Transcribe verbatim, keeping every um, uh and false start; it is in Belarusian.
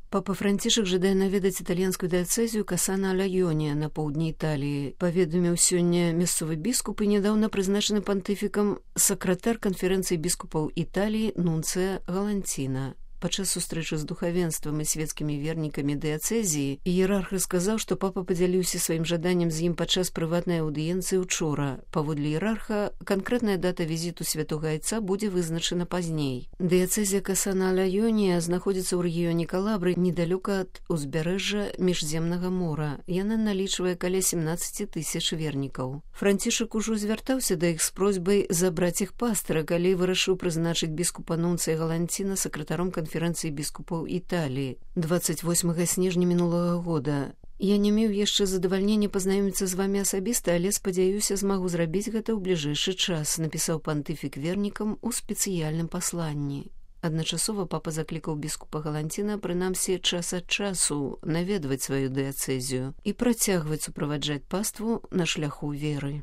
Папа Францішак жадае наведаць італьянскую дыяцэзію Касана-Альёне на поўдні Італіі. Паведаміў сёння мясцовы біскуп і нядаўна прызначаны пантыфікам сакратар канферэнцыі біскупаў Італіі Нунцыя Галанціна. Падчас сустрэчы з духавенствам і свецкімі вернікамі дыяцэзіі іерарх сказаў, што папа падзяліўся сваім жаданнем з ім падчас прыватнай аўдыенцыі ўчора. Паводле іерарха, канкрэтная дата візіту святога айца будзе вызначана пазней. Дыяцэзія Касана-Альёне знаходзіцца ў рэгіёне Калабры недалёка ад узбярэжжа Міжземнага мора. Яна налічвае каля семнаццаць тысяч вернікаў. Францішак ужо звяртаўся да іх з просьбай забраць іх пастыра, калі вырашыў прызначыць біскупа Нунцыя Галанціна сакратаром канферэнцыі канферэнцыі біскупаў Італіі дваццаць восьмага снежня мінулага года. Я не меў яшчэ задавальнення пазнаёміцца з вамі асабіста, але спадзяюся, змагу зрабіць гэта ў бліжэйшы час, напісаў пантыфік вернікам у спецыяльным пасланні. Адначасова папа заклікаў біскупа Галанціна прынамсі час ад часу наведваць сваю дыяцэзію і працягваць суправаджаць паству на шляху веры.